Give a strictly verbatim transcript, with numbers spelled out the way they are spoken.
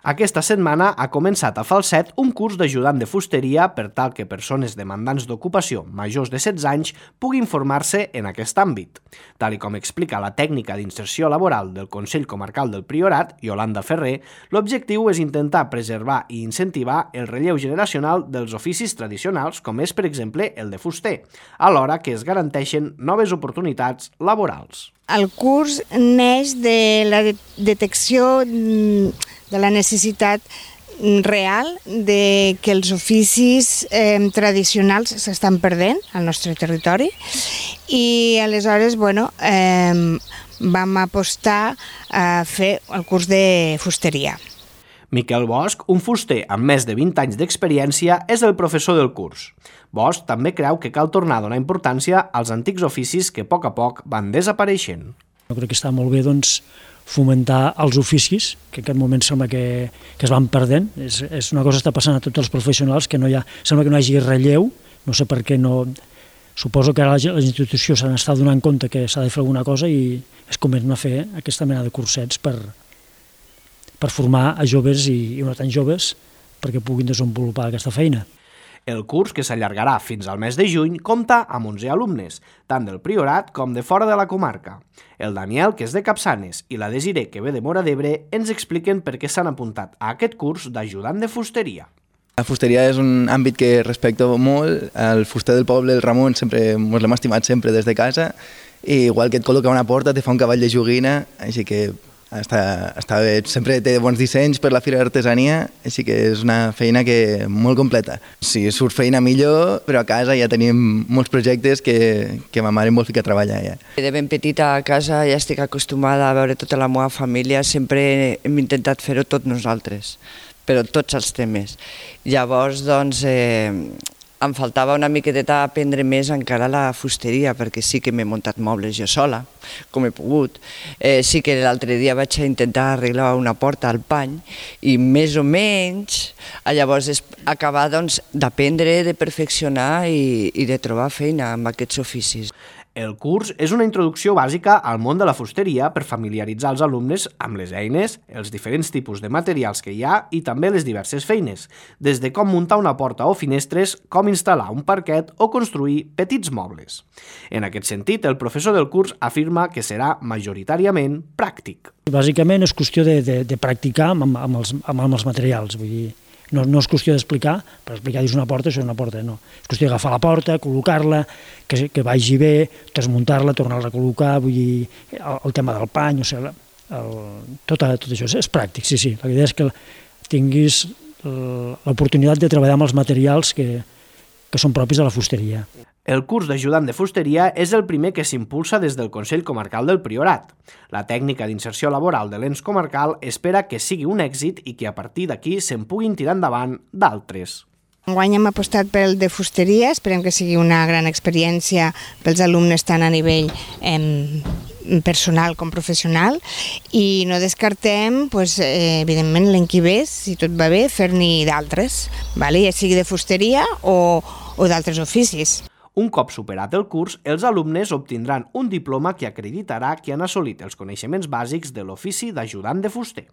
Aquesta setmana ha començat a Falset un curs d'ajudant de fusteria per tal que persones demandants d'ocupació majors de setze anys puguin formar-se en aquest àmbit. Tal i com explica la tècnica d'inserció laboral del Consell Comarcal del Priorat, Iolanda Ferrer, l'objectiu és intentar preservar i incentivar el relleu generacional dels oficis tradicionals, com és, per exemple, el de fuster, alhora que es garanteixen noves oportunitats laborals. El curs neix de la detecció de la necessitat real de que els oficis eh, tradicionals s'estan perdent al nostre territori i aleshores bueno, eh, vam apostar a fer el curs de fusteria. Miquel Bosch, un fuster amb més de vint anys d'experiència, és el professor del curs. Bosch també creu que cal tornar a donar importància als antics oficis que a poc a poc van desapareixent. Jo crec que està molt bé doncs, fomentar els oficis, que en aquest moment sembla que, que es van perdent. És, és una cosa que està passant a tots els professionals, que no hi ha, sembla que no hi hagi relleu, no sé per què no... Suposo que ara les institucions s'han estat donant compte que s'ha de fer alguna cosa i es comencen a fer aquesta mena de cursets per, per formar a joves i, i no tan joves perquè puguin desenvolupar aquesta feina. El curs, que s'allargarà fins al mes de juny, compta amb onze alumnes, tant del Priorat com de fora de la comarca. El Daniel, que és de Capçanes, i la Desiré, que ve de Móra d'Ebre, ens expliquen per què s'han apuntat a aquest curs d'ajudant de fusteria. La fusteria és un àmbit que respecto molt. El fuster del poble, el Ramon, sempre ens l'hem estimat sempre des de casa, i igual que et col·loca una porta, te fa un cavall de joguina, així que està, està bé. Sempre té bons dissenys per la Fira d'Artesania, així que és una feina que molt completa. Si surt feina millor, però a casa ja tenim molts projectes que, que ma mare em vol ficar a treballar ja. De ben petita a casa ja estic acostumada a veure tota la meva família, sempre hem intentat fer-ho tots nosaltres, però tots els temes. Llavors, doncs, eh, em faltava una miqueta aprendre més encara la fusteria, perquè sí que m'he muntat mobles jo sola, com he pogut. Eh, sí que l'altre dia vaig intentar arreglar una porta al pany i més o menys llavors és acabar doncs, d'aprendre, de perfeccionar i, i de trobar feina amb aquests oficis. El curs és una introducció bàsica al món de la fusteria per familiaritzar els alumnes amb les eines, els diferents tipus de materials que hi ha i també les diverses feines, des de com muntar una porta o finestres, com instal·lar un parquet o construir petits mobles. En aquest sentit, el professor del curs afirma que serà majoritàriament pràctic. Bàsicament és qüestió de, de, de practicar amb, amb, els, amb els materials, vull dir, No, no és qüestió d'explicar, per explicar dius una porta, això és una porta, no. És qüestió d'agafar la porta, col·locar-la, que, que vagi bé, desmuntar-la, tornar-la a col·locar, vull dir, el, el tema del pany, o sigui, el, tot, tot això és, és pràctic, sí, sí. La idea és que tinguis l'oportunitat de treballar amb els materials que, que són propis de la fusteria. El curs d'ajudant de fusteria és el primer que s'impulsa des del Consell Comarcal del Priorat. La tècnica d'inserció laboral de l'ens comarcal espera que sigui un èxit i que a partir d'aquí se'n puguin tirar endavant d'altres. Enguany hem apostat pel de fusteria, esperem que sigui una gran experiència pels alumnes tant a nivell eh, personal com professional i no descartem, pues, eh, evidentment, l'any que ve, si tot va bé, fer-n'hi d'altres, vale? Ja sigui de fusteria o, o d'altres oficis. Un cop superat el curs, els alumnes obtindran un diploma que acreditarà que han assolit els coneixements bàsics de l'ofici d'ajudant de fuster.